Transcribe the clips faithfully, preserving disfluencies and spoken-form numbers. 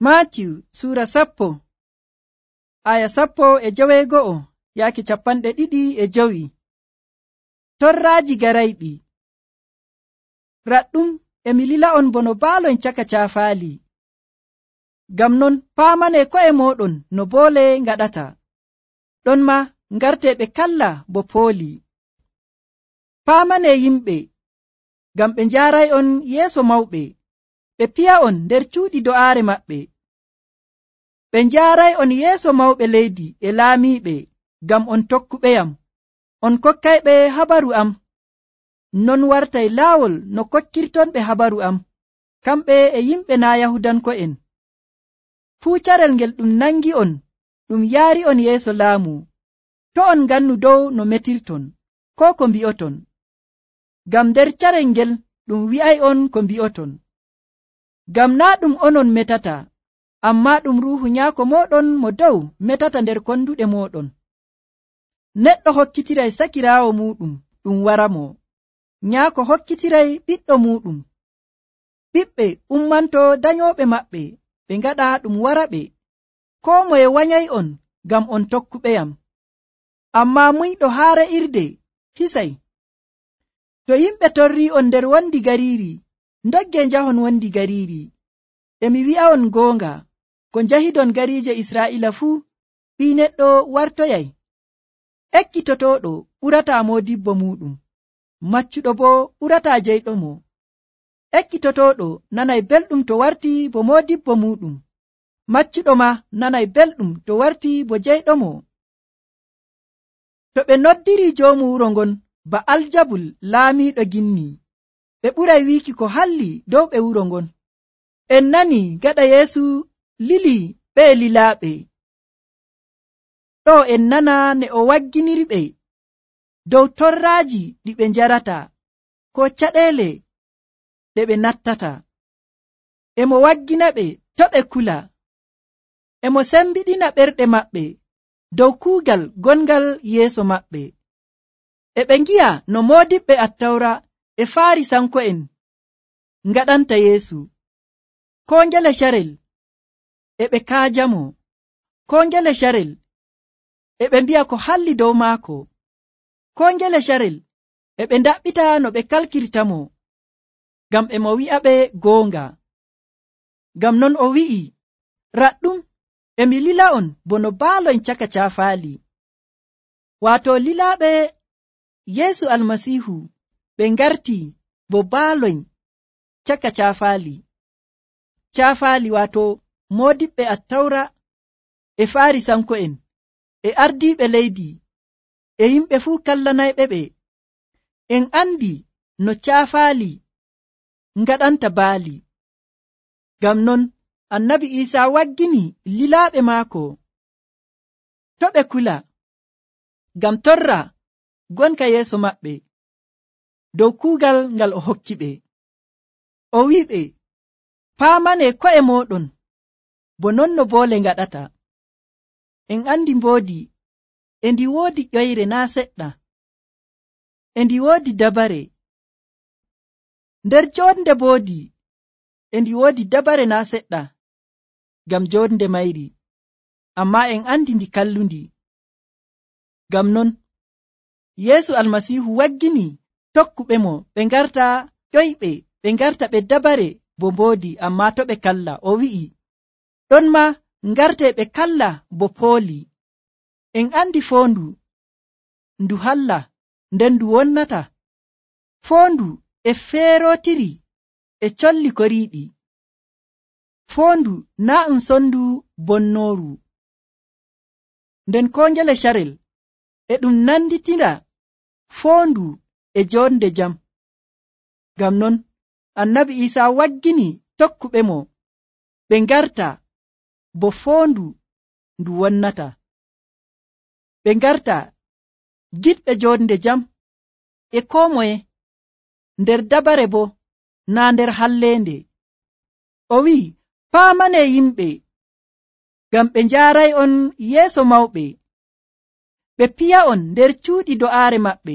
Maatiyu suura sappo aya sappo e joweego'o yaaki capanɗe ɗiɗi e jowi. Torraaji garayɗi. Raɗɗum emi lila'on bono baaloyn caka caafaali. Ngam non paamanee ko'e mooɗon no boole ngaɗata. Ɗon ma ngartee ɓe kalla bo pooli. Paamanee yimɓe ngam ɓe njaaray'on yeeso mawɓe. Ɓe piya'on nder cuuɗi do'aare maɓɓe. Ɓe njaaray'on yeeso mawɓe leydi e laamiiɓe ngam on tokkuɓeyam. On kokkayɓe habaru am. Non wartay laawol no kokkirtonɓe habaru am, kamɓe e yimɓe naa Yahudanko'en. Fuu carel ngel ɗum nangi'on ɗum yaari'on yeeso laamu. To' on ngannu dow no metirton, koo ko mbi'oton. Ngam nder carel ngel ɗum wi'ay'on ko mbi'oton. Ngam naa ɗum onon metata, ammaa ɗum Ruuhu Nyaako mooɗon mo dow metata nder konduɗe mooɗon. Neɗɗo hokkitiray sakiraawo muuɗum, ɗum waramo. Nyaako hokkitiray ɓiɗɗo muuɗum. Ɓiɓɓe ummanto danyooɓe maɓɓe, ɓe ngaɗa ɗum waraɓe. Koo moye wanyay'on ngam on tokkuɓeyam. Ammaa muyɗo haa re'irde hisay. To yimɓe torrii'on nder wondi gariiri, ndogge njahon wondi gariiri. Emi wi'a'on goonga, ko njahidon gariije Israa'iila fuu, Ɓii Neɗɗo wartoyay. Ekkitotooɗo ɓurataa moodibbo muuɗum, maccuɗo boo ɓurataa jeyɗomo. Ekkitotooɗo nanay belɗum to wartii bo moodibbo muuɗum, maccuɗo ma nanay belɗum to wartii bo jeyɗomo. To ɓe noddirii joomu wuro ngon ba Aljabul laamiiɗo ginni, ɓe ɓuray wiiki ko halli dow ɓe wuro ngon. En nani gaɗa Yeesu lili ɓe lilaaɓe. Ɗo en nana ne o wagginirɓe dow torraaji ɗi ɓe njarata, ko caɗeele ɗe ɓe nattata. Emo wagginaɓe to ɓe kula. Emo sembiɗina ɓerɗe maɓɓe dow kuugal gongal yeeso maɓɓe. E ɓe ngi'a no moodiɓɓe Attawra e Faarisanko'en ngaɗanta Yeesu. Koo ngele carel e ɓe kaajamo, koo ngele carel e ɓe mbi'a ko halli dow maako, koo ngele carel e ɓe ndaɓɓita no ɓe kalkirtamo, ngam e mo wi'aɓe goonga. Ngam non o wi'i, raɗɗum emi lila'on bono baaloyn caka caafaali. Waato lilaaɓe Yeesu Almasiihu ɓe ngartii bo baaloyn caka caafaali. Caafaali waato moodiɓɓe Attawra e Faarisanko'en e ardiiɓe leydi e yimɓe fuu kallanayɓe ɓe. En andi no caafaali ngaɗanta baali. Ngam non Annabi Iisaa waggini lilaaɓe maako to ɓe kula, ngam torra gonka yeeso maɓɓe dow kuugal ngal o hokki ɓe. O wi'iɓe, paamanee ko'e mooɗon bo non no boole ngaɗata. En andi mboodi e ndi woodi ƴoyre naa seɗɗa, e ndi woodi dabare. Nder joonde mboodi e ndi woodi dabare naa seɗɗa, ngam joonde mayri, ammaa en andi ndi kallundi. Ngam non Yeesu Almasiihu waggini tokkuɓe mo ɓe ngarta ƴoyɓe, ɓe ngarta ɓe dabare bo mboodi, ammaa to ɓe kalla. O wi'i, ɗon ma ngartee ɓe kalla bo pooli. En andi foondu ndu halla nden ndu wonnata. Foondu e feerootiri e colli koriiɗi. Foondu naa um sondu bonnooru. Nden koo ngele carel e ɗum nanditira foondu e joonde jam. Ngam non Annabi Iisaa waggini tokkuɓe mo ɓe ngarta bo foondu ndu wonnata. Ɓe ngarta giɗɓe joonde jam e koo moye, nder dabare bo naa nder halleende. O wi'i, paamanee yimɓe ngam ɓe njaaray'on yeeso mawɓe. Ɓe piya'on nder cuuɗi do'aare maɓɓe.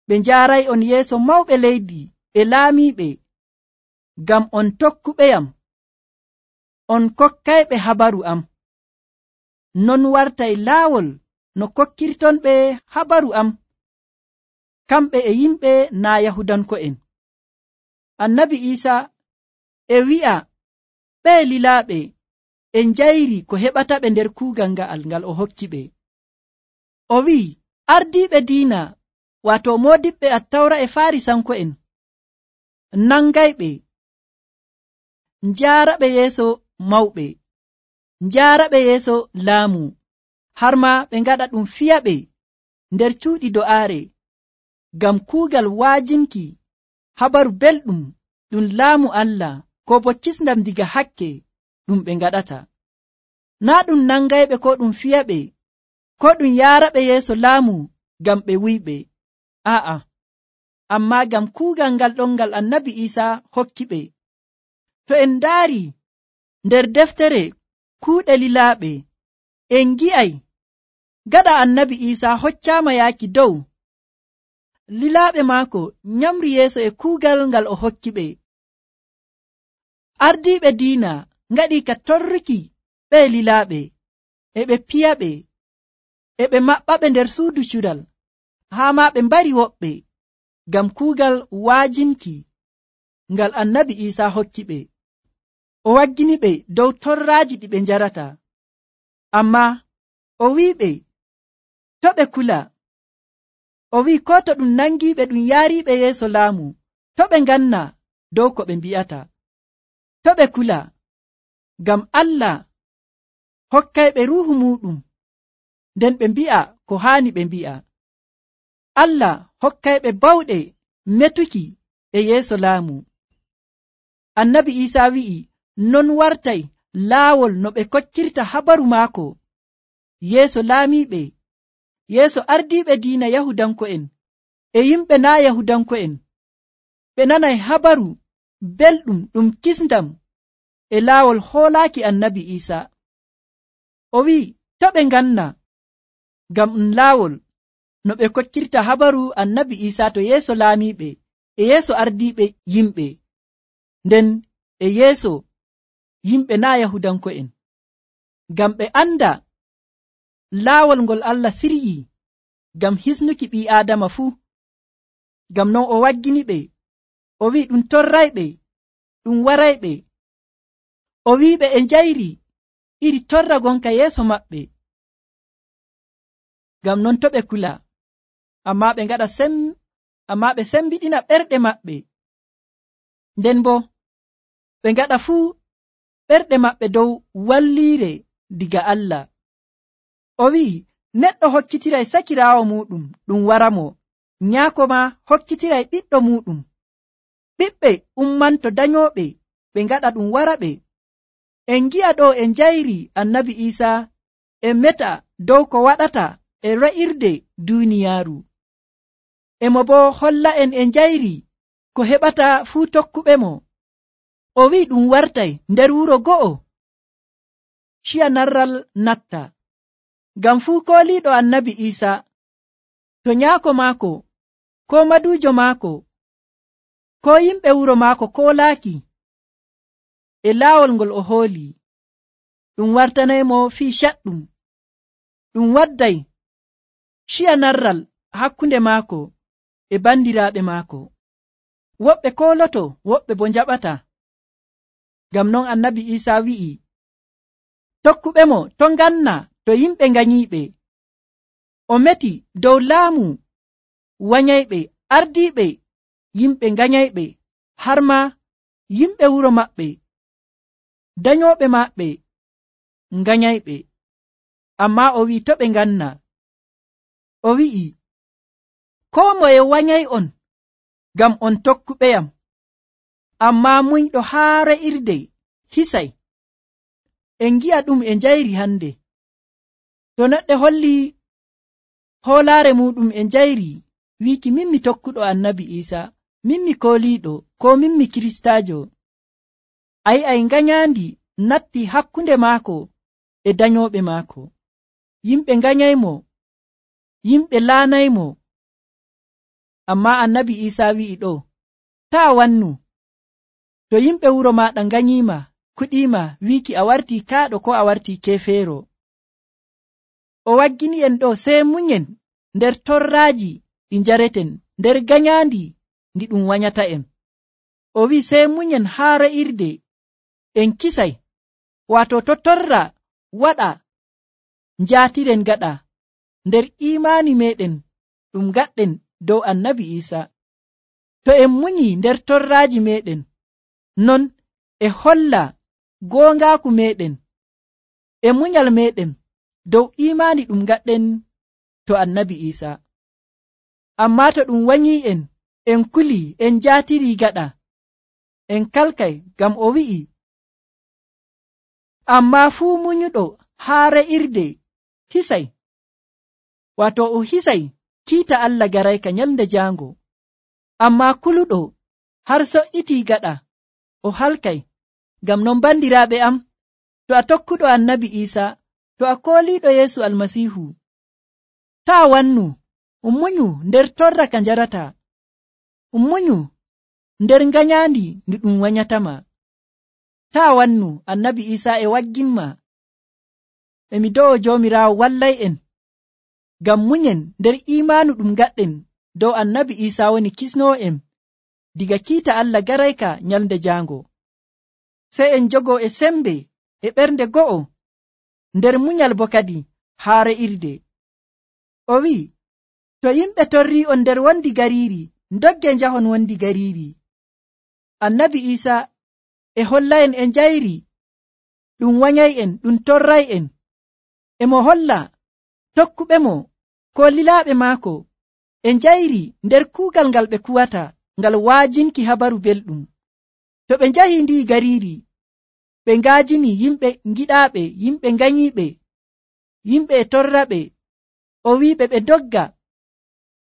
Ɓe njaaray'on yeeso mawɓe leydi e laamiiɓe, ngam on tokkuɓeyam. on kokkayɓe habaru am, non wartay laawol no kokkirton ɓe habaru am, kamɓe e yimɓe naa Yahudanko'en. Annabi Iisa e wi'a ɓe lilaaɓe e njayri ko heɓataɓe nder kuugal nga'al ngal o hokki ɓe. O wi'i ardiiɓe diina, waato moodiɓɓe Attawra e Faarisanko'en, nangayɓe, njaaraɓe yeeso mawɓe, njaaraɓe yeeso laamu, har ma ɓe ngaɗa ɗum fiyaɓe nder cuuɗi do'aare, ngam kuugal waajinki habaru belɗum ɗum laamu Allah, ko bo kisndam diga hakke ɗum ɓe ngaɗata. Naa ɗum nangayɓe ko ɗum fiyaɓe, ko ɗum yaaraɓe yeeso laamu ngam ɓe wuyɓe, aa'a, ammaa ngam kuugal ngal ɗon ngal Annabi Iisa hokki ɓe. To en ndaari nder deftere kuuɗe lilaaɓe, en ngi'ay gaɗa Annabi Iisa hoccaama yaaki dow, lilaaɓe maako nyamri yeeso e kuugal ngal o hokki ɓe. Ardiiɓe diina ngaɗii ka torruki ɓe lilaaɓe, e ɓe piyaɓe, e ɓe maɓɓaɓe nder suudu cural, haa ma ɓe mbari woɓɓe, ngam kuugal waajinki ngal Annabi Iisa hokki ɓe. O waggini ɓe dow torraaji ɗi ɓe njarata, ammaa o wi'iɓe to ɓe kula. O wi'i ko to ɗum nangiiɓe ɗum yaariiɓe yeeso laamu, to ɓe nganna dow ko ɓe mbi'ata, to ɓe kula, ngam Allah hokkayɓe ruuhu muuɗum, nden ɓe mbi'a ko haani ɓe mbi'a. Allah hokkayɓe bawɗe metuki e yeeso laamu. Annabi Iisa wi'i non wartay laawol no ɓe kokkirta habaru maako yeeso laamiiɓe, yeeso ardiiɓe diina Yahudanko'en e yimɓe naa Yahudanko'en. Ɓe nanay habaru belɗum ɗum kisndam e laawol hoolaaki Annabi Iisa. O wi'i to ɓe nganna, ngam ɗum laawol no ɓe kokkirta habaru Annabi Iisa to yeeso laamiiɓe e yeeso ardiiɓe yimɓe, nden e yeeso yimɓe naa Yahudanko'en, ngam ɓe anda laawol ngol Allah siryii ngam hisnuki ɓii Aadama fuu. Ngam non o waggini ɓe, o wi'i ɗum torrayɓe, ɗum warayɓe, o wi'iɓe e njayri iri torra gonka yeeso maɓɓe. Ngam non to ɓe kula, ammaa ɓe ngaɗa sem ammaa ɓe sembiɗina ɓerɗe maɓɓe, nden bo ɓe ngaɗa fuu ɓerɗe maɓɓe dow walliire diga Allah. O wi'i neɗɗo hokkitiray sakiraawo muɗum ɗum waramo, nyaako ma hokkitiray ɓiɗɗo muɗum. Ɓiɓɓe ummanto danyooɓe ɓe ngaɗa ɗum waraɓe. En ngi'a ɗo e njayri Annabi Iisa e meta dow ko waɗata e ra'irde duuniyaaru. Emo bo holla en e njayri ko heɓata fuu tokkuɓe mo. O wi'i ɗum wartay nder wuro go'o, ciya narral natta, ngam fuu kooliiɗo Annabi Iisa to nyaako maako, ko maduujo maako, ko yimɓe wuro maako koolaaki e laawol ngol o hooli, ɗum wartanaymo fii caɗɗum. Ɗum wadday ciya narral hakkunde maako e bandiraaɓe maako. Woɓɓe kooloto, woɓɓe bo njaɓata. Ngam non Annabi Iisa wi'i tokkuɓe mo to nganna to yimɓe nganyiiɓe. O meti dow laamu wanyayɓe, ardiiɓe yimɓe nganyayɓe, har ma yimɓe wuro maɓɓe, danyooɓe maɓɓe nganyayɓe. Ammaa o wi'i to ɓe nganna. O wi'i koo moye wanyay on ngam on tokkuɓeyam, ammaa muyɗo haa re'irde hisay. En ngi'a ɗum e njayri hande. To neɗɗo holli hoolaare muɗum e njayri wiiki min mi tokkuɗo Annabi Iisa, min mi kooliiɗo, ko min mi kiristaajo, a yi'ay nganyaandi natti hakkunde maako e danyooɓe maako. Yimɓe nganyaymo, yimɓe laanaymo. Ammaa Annabi Iisa wi'i ɗo, taa wannu, to yimɓe wuro maaɗa nganyiima, kuɗiima wiiki a wartii kaaɗo ko a wartii keefeero. O waggini en ɗo sey munyen nder torraaji ɗi njareten nder ganyaandi ndi ɗum wanyata en. O wi'i sey munyen haa re'irde en kisay, waato to torra waɗa njaatiren gaɗa nder iimaani meɗen ɗum gaɗɗen dow annabi Iisa. To en munyi nder torraaji meɗen, non e holla goongaaku meɗen e munyal meɗen dow iimaani ɗum gaɗɗen to annabi Iisa. Ammaa to ɗum wanyii en en kulii en njaatirii gaɗa, en kalkay ngam o wi'i, ammaa fuu munyuɗo haa re'irde hisay, waato o hisay kiita Allah garayka nyalnde jaango. Ammaa kuluɗo har so'yitii gaɗa o halkay. Ngam non bandiraaɓe am, to a tokkuɗo annabi Iisa, to a kooliiɗo Yeesu Almasiihu, taa wannu, munyu nder torra ka njarata, munyu nder ganyaandi ndi ɗum wanyatama. Taa wannu, annabi Iisa e wagginma. Emi do'o Joomiraawo wallay en ngam munyen nder iimaanu ɗum gaɗɗen dow annabi Iisa woni kisnoo en diga kiita Allah garayka nyalnde jaango. Sey en jogo e sembe e ɓernde go'o nder munyal bo kadi haa re'irde. O wi'i, to yimɓe torrii on nder wondi gariiri, ndogge njahon wondi gariiri. Annabi Iisa e holla'en e njayri ɗum wanyay'en ɗum torray'en, e mo holla tokkuɓe mo ko lilaaɓe maako e njayri nder kuugal ngal ɓe kuwata ngal waajinki habaru belɗum. To ɓe njahi ndi gariiri, ɓe ngaajini yimɓe giɗaaɓe, yimɓe nganyiiɓe, yimɓe e torraɓe. O wi'iɓe ɓe dogga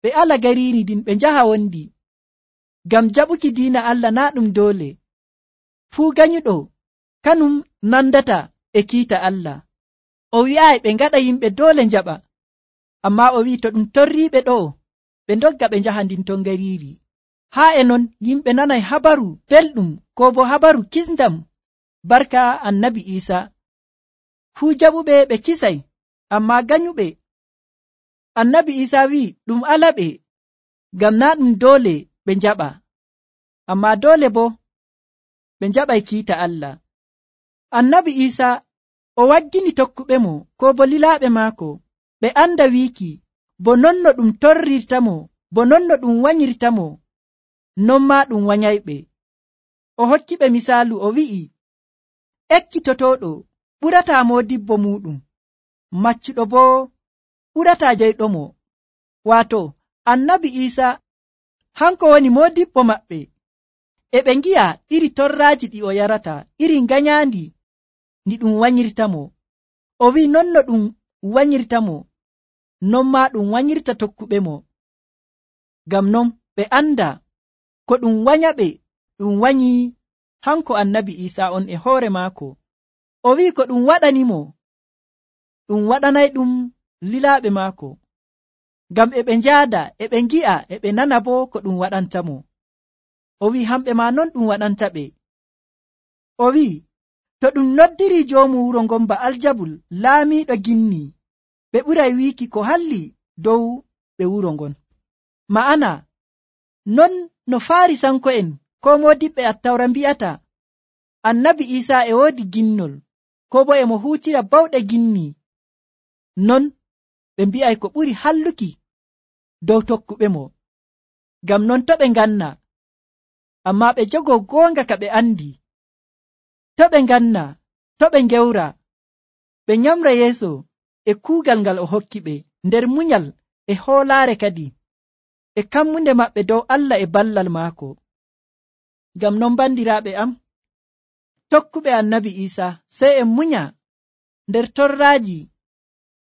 ɓe ala gariiri ndin ɓe njaha wondi, ngam jaɓuki diina Allah naa ɗum doole. Fuu ganyuɗo kanum nandata e kiita Allah. O wi'aayi ɓe ngaɗa yimɓe doole njaɓa, ammaa o wi'i to ɗum torriiɓe ɗo, ɓe ndogga ɓe njaha ndin ton gariiri. Haa e non yimɓe nanay habaru belɗum ko bo habaru kisndam barka annabi Iisa. Fuu jaɓuɓe ɓe kisay, ammaa ganyuɓe annabi Iisa wi'i ɗum alaɓe, ngam naa ɗum doole ɓe njaɓa, ammaa doole bo ɓe njaɓay kiita Allah. Annabi Iisa o waggini tokkuɓe mo ko bo lilaaɓe maako ɓe anda wiiki bo non no ɗum torrirtamo, bo non no ɗum wanyirtamo, non maa ɗum wanyayɓe. O hokkiɓe misaalu, o wi'i, ekkitotoɗo ɓurataa moodibbo muɗum, maccuɗo bo ɓurataa jeyɗomo. Waato annabi Iisa hanko woni moodibbo maɓɓe, e ɓe ngi'a iri torraaji ɗi o yarata, iri ganyaandi ndi ɗum wanyirtamo. O wi'i non no ɗum wanyirtamo, non maa ɗum wanyirta tokkuɓe mo. Ngam non ɓe anda ko ɗum wanyaɓe ɗum wanyi hanko annabi Iisa on e hoore maako. O wi'i ko ɗum waɗanimo ɗum waɗanay ɗum lilaaɓe maako, ngam e ɓe njaada e ɓe ngi'a e ɓe nana bo ko ɗum waɗantamo. O wi'i hamɓe ma non ɗum waɗanta ɓe. O wi'i to ɗum noddiri joomu wuro ngon ba Aljabul laamiiɗo ginni, ɓe ɓuray wiiki ko halli dow ɓe wuro ngon. Ma'ana non no Faarisanko'en ko moodiɓɓe Attawra mbi'ata annabi Iisa e woodi ginnol ko bo e mo huutira bawɗe ginni, non ɓe mbi'ay ko ɓuri halluki dow tokkuɓe mo. Ngam non to ɓe nganna, ammaa ɓe jogo goonga ka ɓe andi, to ɓe nganna, to ɓe ngewra, ɓe nyamra yeeso e kuugal ngal o hokki ɓe nder munyal e hoolaare kadi e kammunde maɓɓe dow Allah e ballal maako. Ngam non bandiraaɓe am, tokkuɓe annabi Iisa sey en munya nder torraaji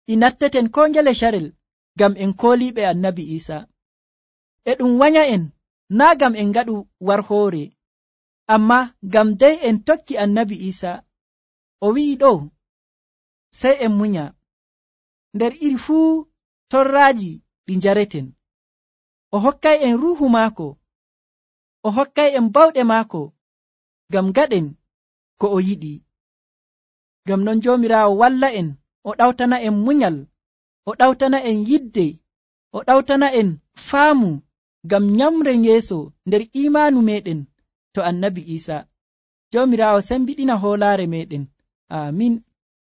ɗi natteten ko ngele carel ngam en kooliiɓe annabi Iisa. E ɗum wanya en naa ngam en ngaɗu war hoore, ammaa ngam dey en tokki annabi Iisa. O wi'i ɗo sey en munya nder iri fuu torraaji ɗi njareten. O hokkay en ruuhu maako, o hokkay en bawɗe maako ngam gaɗen ko o yiɗi. Ngam non joomiraawo walla en, o ɗawtana en munyal, o ɗawtana en yidde, o ɗawtana en faamu ngam nyamren yeeso nder imaanu meɗen to annabi Iisa. Joomiraawo sembiɗina hoolaare meɗen. Amin.